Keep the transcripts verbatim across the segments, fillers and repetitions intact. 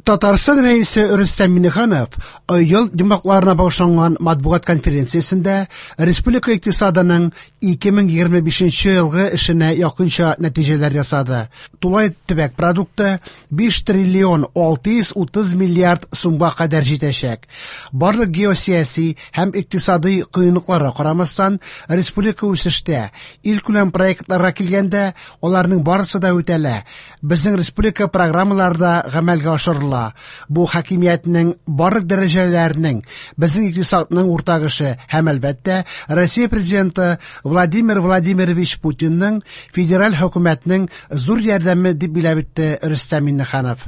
Татарстан Рәисе Рөстәм Миңнеханов ел йомгакларына багышланган матбугат конференциясендә республика икътисадының ике мең егерме бишенче елгы эшенә якынча нәтиҗәләр ясады. Тулай төбәк продукты биш триллион алты йөз утыз миллиард сумга кадәр җитәчәк. Барлык геосияси һәм икътисади кыенлыкларга карамастан, республика үсештә. Илкүләм проектларга килгәндә, аларның барысы да үтәлә. Безнең республика программалары да гамәлгә ашырыла. Бу хакимиятнең барлык дәрәҗәләренең, безнең икътисадның уртак эше һәм әлбәттә Россия президенты Владимир Владимирович Путинның федераль хөкүмәтнең зур ярдәме дип билгеләп үтте Рөстәм Миңнеханов.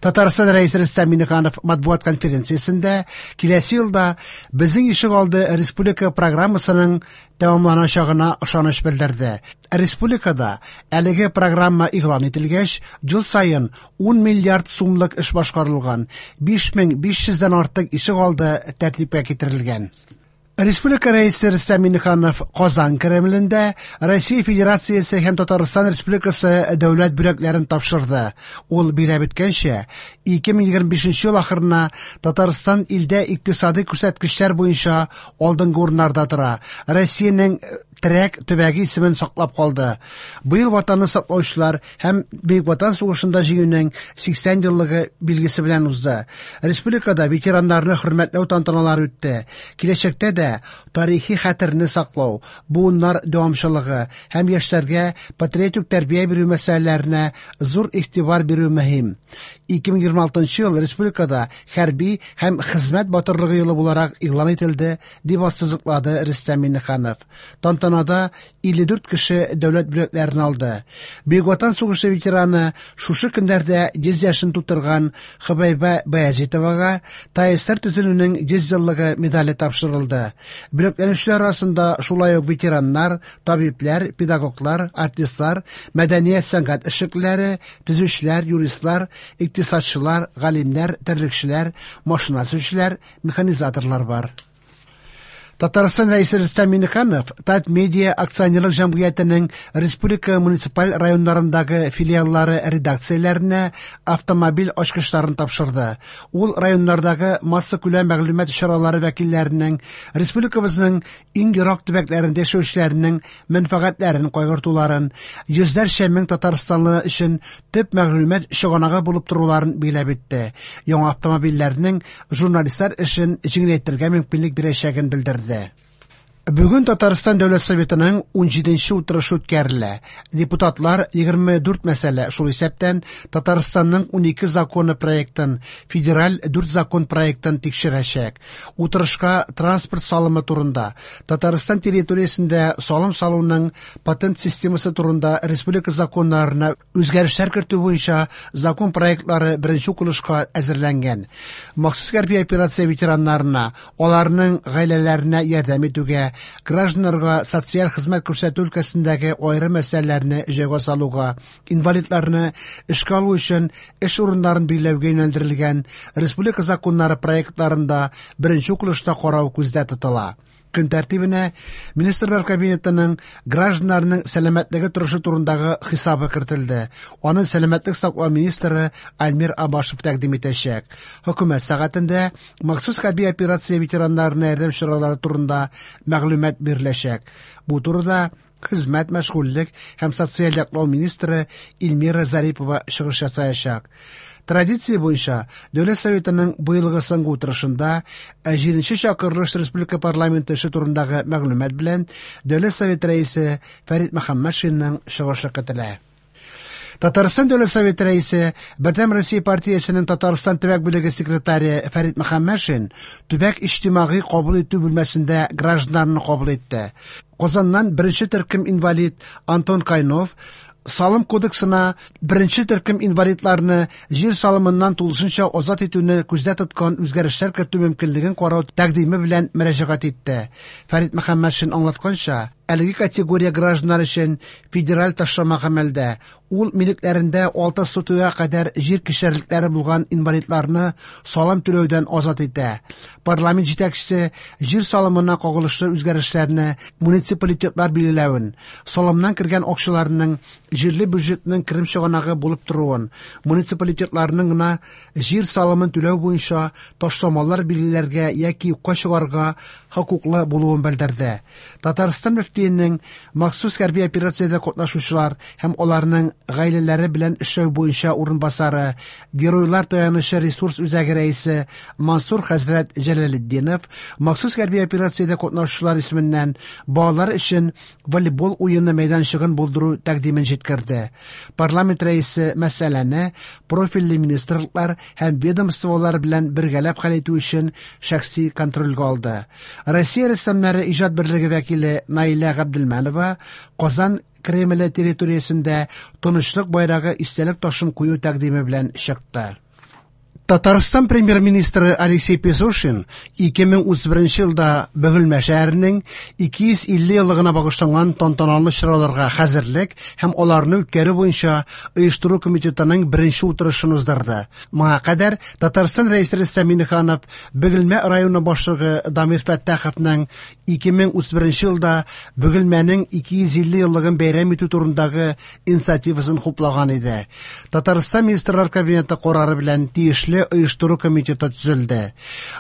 Татарстан Рәисе Рөстәм Миңнеханов матбугат конференциясендә киләсе елда безнең ишегалды республика программасының тәмамланачагына ышаныч белдерде. Республикада әлеге программа игълан ителгәч, ел саен ун миллиард сумлык эш башкарылган, биш мең биш йөздән артык ишегалды тәртипкә китерелгән. Республика Рәисе Рөстәм Миңнеханов Казан Кремлендә Россия Федерациясе һәм Татарстан Республикасы дәүләт бүләкләрен тапшырды. Ул билгеләп үткәнчә, ике мең егерме бишенче ел ахырына Татарстан илдә икътисади күрсәткечләр буенча алдынгы урыннарда тора. Россиянең терәк төбәге исемен саклап калды. Быел ватанны саклаучылар һәм Бөек Ватан сугышында җиңүнең сиксән еллыгы билгесе белән узды. Республикада ветераннарны хөрмәтләү тантаналары үтте. Киләчәктә дә тарихи хәтерне саклау, буыннар дәвамчылыгы һәм яшьләргә патриотик тәрбия бирү мәсьәләләренә зур игътибар бирү мөһим. Ике мең егерме алтынчы ел республикада хәрби һәм хезмәт батырлыгы елы буларак игълан ителде, дип ассызыклады Рөстәм Миңнеханов. Тантанада илле дүрт кеше дәүләт бүләкләрен алды. Бөек Ватан сугышы ветераны шушы көннәрдә йөз яшен тутырган Хөбәйбә Баязитовага ТАССР төзелүнең йөз еллыгы медале тапшырылды. Бүләкләнүчеләр арасында шулай ук ветераннар, табибләр, педагоглар, артистлар, мәдәният сәнгать эшлеклеләре, төзүчеләр, юристлар, икътисадчылар, галимнәр, терлекчеләр, машина төзүчеләр, механизаторлар бар. Татарстан Рәисе Рөстәм Миңнеханов Татмедиа акционерлык җәмгыятенең республика муниципаль районнарындагы филиаллары редакцияләренә автомобиль ачкычларын тапшырды. Ул районнардагы массакүләм мәгълүмат чаралары вәкилләренең республикабызның иң ерак төбәкләрендә яшәүчеләренең мәнфәгатьләрен кайгыртуларын, йөзләрчә мең татарстанлы өчен төп мәгълүмат чыганагы булып торуларын билгеләп үтте. Яңа автомобильләрнең журналистлар эшен җиңеләйтергә мөмкинлек бирәчәген белдерде. Бүген Татарстан Дәүләт Советының ун җиденче утырышы үткәрелә. Депутатлар егерме дүрт мәсьәлә, шул исәптән Татарстанның ун ике законы проектын, федераль дүрт закон проектын тикшерәчәк. Утырышка транспорт салымы турында, Татарстан территориясендә салым салуның патент системасы турында республика законнарына үзгәрешләр кертү буенча закон проектлары беренче укылышка әзерләнгән. Махсус хәрби операция ветераннарына, аларның гаиләләренә ярдәм итүгә, гражданнарга социаль хезмәт күрсәтү өлкәсендәге аерым мәсьәләләрне җайга салуга, инвалидларны эшкә алу өчен эш урыннарын билгеләүгә юнәлдерелгән республика законнары проектларында беренче укылышта карау күздә тотыла. Көн тәртибенә Министрлар Кабинетының гражданнарның сәламәтлеге торышы турындагы хисабы кертелде. Аны сәламәтлек саклау министры Альмир Абашев тәкъдим итәчәк. Хөкүмәт сәгатендә махсус хәрби операция ветераннарына ярдәм чаралары турында мәгълүмат биреләчәк. Бу турыда Хезмәт, мәшгульлек һәм социаль яклау министры Эльмира Зарипова чыгыш ясаячак. Традиция буенча Дәүләт Советының быелгы соңгы утырышында җиденче чакырылыш Республика парламенты эше турындагы мәгълүмат белән Дәүләт Советы рәисе Фәрит Мөхәммәтшинның чыгышы көтелә. Татарстан Дәүләт Советы рәисе, Бердәм Россия партиясенең Татарстан төбәк бүлеге секретаре Фәрит Мөхәммәтшин төбәк иҗтимагый кабул итү бүлмәсендә гражданнарны кабул итте. Казаннан беренче төркем инвалид Антон Кайнов Салым кодексына беренче төркем инвалидларны җир салымыннан тулысынча азат итүне күздә тоткан үзгәрешләр кертү мөмкинлеген карау тәкъдиме белән мөрәҗәгать итте. Фәрит Мөхәммәтшин аңлатканча, Әлеге категория гражданнар өчен федераль ташлама гамәлдә. Ул милекләрендә алты сотыйга кадәр җир кишәрлекләре булган инвалидларны салым түләүдән азат итә. Парламент җитәкчесе җир салымына кагылышлы үзгәрешләрне муниципалитетлар билгеләвен, салымнан кергән акчаларның җирле бюджетның керем чыганагы булып торуын, муниципалитетларның гына җир салымын түләү буенча ташламалар билгеләргә яки юкка чыгарырга хокуклы булуын белдерде. Татарстан мөфтиенең махсус хәрби операциядә катнашучылар һәм аларның гаиләләре белән эшләү буенча урынбасары, Геройлар таянычы ресурс үзәге рәисе Мансур хәзрәт Җәләлетдинов махсус хәрби операциядә катнашучылар исеменнән балалар өчен волейбол уены мәйданчыгын булдыру тәкъдимен җиткерде. Парламент рәисе мәсьәләне профильле министрлыклар һәм ведомстволар белән бергәләп хәл итү өчен шәхси контрольгә алды. Россия рәссамнары иҗат берлеге вәкиле Наилә Габделмәнова Казан Кремле территориясендә тынычлык байрагы истәлек ташын кую тәкъдиме белән чыкты. Татарстан премьер-министры Алексей Песошин ике мең утыз беренче елда Бөгелмә шәһәренең ике йөз илле еллыгына багышланган тантаналы чараларга хәзерлек һәм аларны үткәрү буенча оештыру комитетының беренче утырышын уздырды. Моңа кадәр Татарстан рәисе Рөстәм Миңнеханов Бөгелмә районы башлыгы Дамир Фәттаховның ике мең утыз беренче елда Бөгелмәнең ике йөз илле еллыгын бәйрәм итү турындагы инициативасын хуплаган иде. Татарстан Министрлар Кабинеты карары белән тиешле оештыру комитеты төзелде.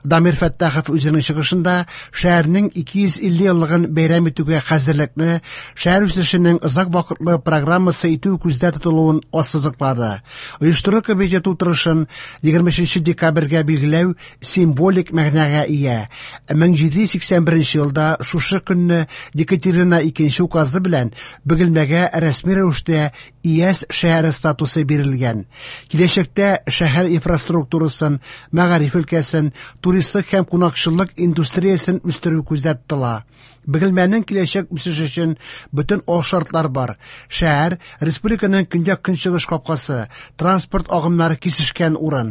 Дамир Фәттахов үзенең чыгышында шәһәрнең ике йөз илле еллыгын бәйрәм итүгә хәзерлекне шәһәр үсешенең озак вакытлы программасы итү күздә тотылуын ассызыклады. Оештыру комитеты утырышын егерме өченче декабрьгә билгеләү символик мәгънәгә ия. Мең җиде йөз сиксән беренче елда шушы көнне Екатерина икенче указы белән Бөгелмәгә рәсми рәвештә ИЭС шәһәре статусы бирелгән. Киләчәктә шәһәр инфраструктурасын, мәгариф өлкәсен, туристлык һәм кунакчыллык индустриясен үстерү күздә тотыла. Бөгелмәнең киләчәк үсеше өчен бөтен алшартлар бар. Шәһәр республиканың көньяк-көнчыгыш капкасы, транспорт агымнары кисешкән урын,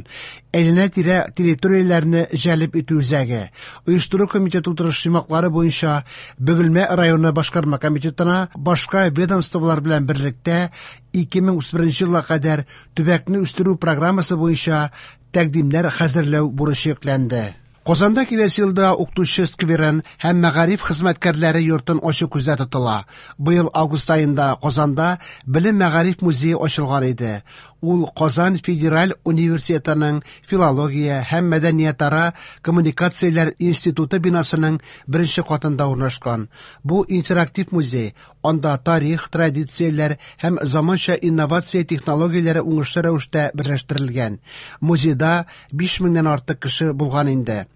әйләнә-тирә территорияләрне җәлеп итү үзәге. Оештыру комитеты утырыш йомгаклары буенча Бөгелмә районы башкарма комитетына башка ведомстволар белән берлектә ике мең утыз беренче елга кадәр төбәкне үстерү программасы буенча тәкъдимнәр хәзерләү бурычы йөкләнде. Казанда киләсе елда укытучы скверын һәм мәгариф хезмәткәрләре йортын ачу күздә тотыла. Быел август аенда Казанда Белем мәгариф музее ачылган иде. Ул Казан федераль университетының филология һәм мәдәниятара коммуникацияләр институты бинасының беренче катында урнашкан. Бу интерактив музей, анда тарих, традицияләр һәм заманча инновация технологияләре уңышлы рәвештә берләштерелгән. Музейда биш меңнән артык кеше булган инде.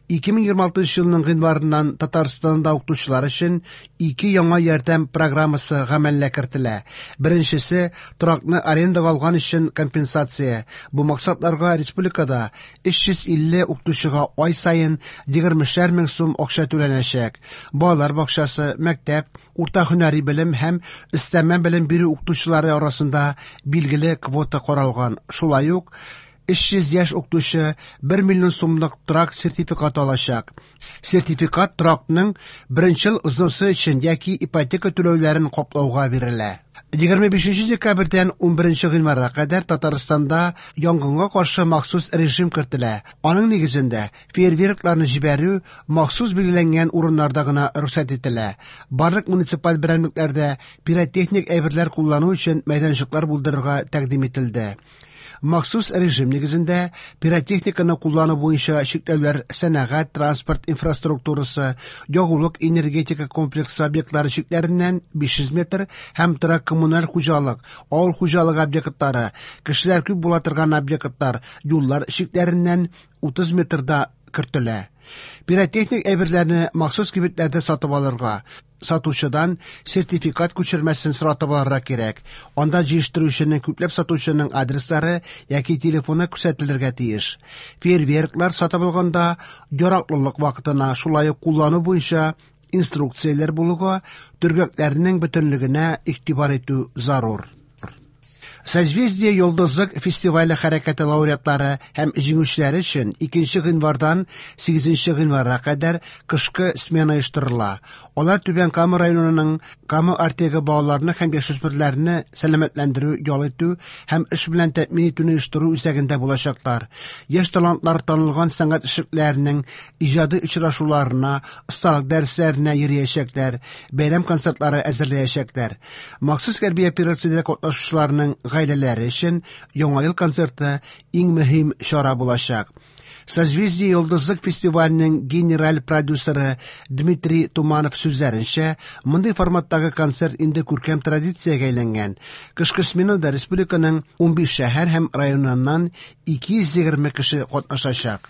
Ике мең егерме алтынчы елның гыйнварыннан Татарстанда укытучылар өчен ике яңа ярдәм программасы гамәлгә кертелә. Беренчесе торакны арендага алган өчен компенсация. Бу максатларга республикада өч йөз илле укытучыга ай саен егермешәр мең сум акча түләнәчәк. Балалар бакчасы, мәктәп, урта һөнәри белем һәм өстәмә белем бирү укытучылары арасында билгеле квота каралган. Шулай ук өч йөз яшь укытучы бер миллион сумлык торак сертификаты алачак. Сертификат торакның беренче ел взносы өчен яки ипотека түләүләрен каплауга бирелә. Егерме бишенче декабрьдән унберенче гыйнварга кадәр Татарстанда янгынга каршы махсус режим кертелә. Аның нигезендә фейерверкларны җибәрү махсус билгеләнгән урыннарда гына рөхсәт ителә. Барлык муниципаль берәмлекләрдә пиротехник әйберләр куллану өчен мәйданчыклар булдырырга тәкъдим ителде. Махсус режим нигезендә пиротехниканы куллану буенча чикләүләр сәнәгать, транспорт инфраструктурасы, ягулык энергетика комплексы объектлары чикләреннән биш йөз метр һәм торак коммуналь хуҗалык, авыл хуҗалыгы объектлары, кешеләр күп була торган объектлар, юллар чикләреннән утыз метрда кертелә. Пиротехник әйберләрне махсус кибетләрдә сатып алырга, сатучыдан сертификат күчермәсен соратып алырга кирәк. Анда җыештыручының, күпләп сатучының адреслары яки телефоны күрсәтелергә тиеш. Фейерверклар сатып алганда яраклылык вакытына, шулай ук куллану буенча инструкцияләр булуга, төргәкләрнең бөтенлегенә игътибар итү зарур. Созвездие Йолдызлык фестивале хәрәкәте лауреатлары һәм җиңүчеләре өчен икенче гыйнвардан сигезенче гыйнварга кадәр кышкы смена оештырыла. Алар Түбән Кама районының Кама Артегы балаларны һәм яшүсмерләрне сәламәтләндерү, ял итү һәм эш белән тәэмин итүне оештыру үзәгендә булачаклар. Яшь талантлар танылган сәнгать эшлекләренең иҗади очрашуларына, осталык дәресләренә йөриячәкләр, бәйрәм концертлары әзерләячәкләр. Махсус хәрби операциядә катнашучыларның гаиләләре өчен Яңа ел концерты иң мөһим чара булачак. Созвездие Йолдызлык фестиваленең генераль продюсеры Дмитрий Туманов сүзләренчә, мондый форматтагы концерт инде күркәм традициягә әйләнгән. Кышкы сменада республиканың унбиш шәһәр һәм районыннан ике йөз егерме кеше катнашачак.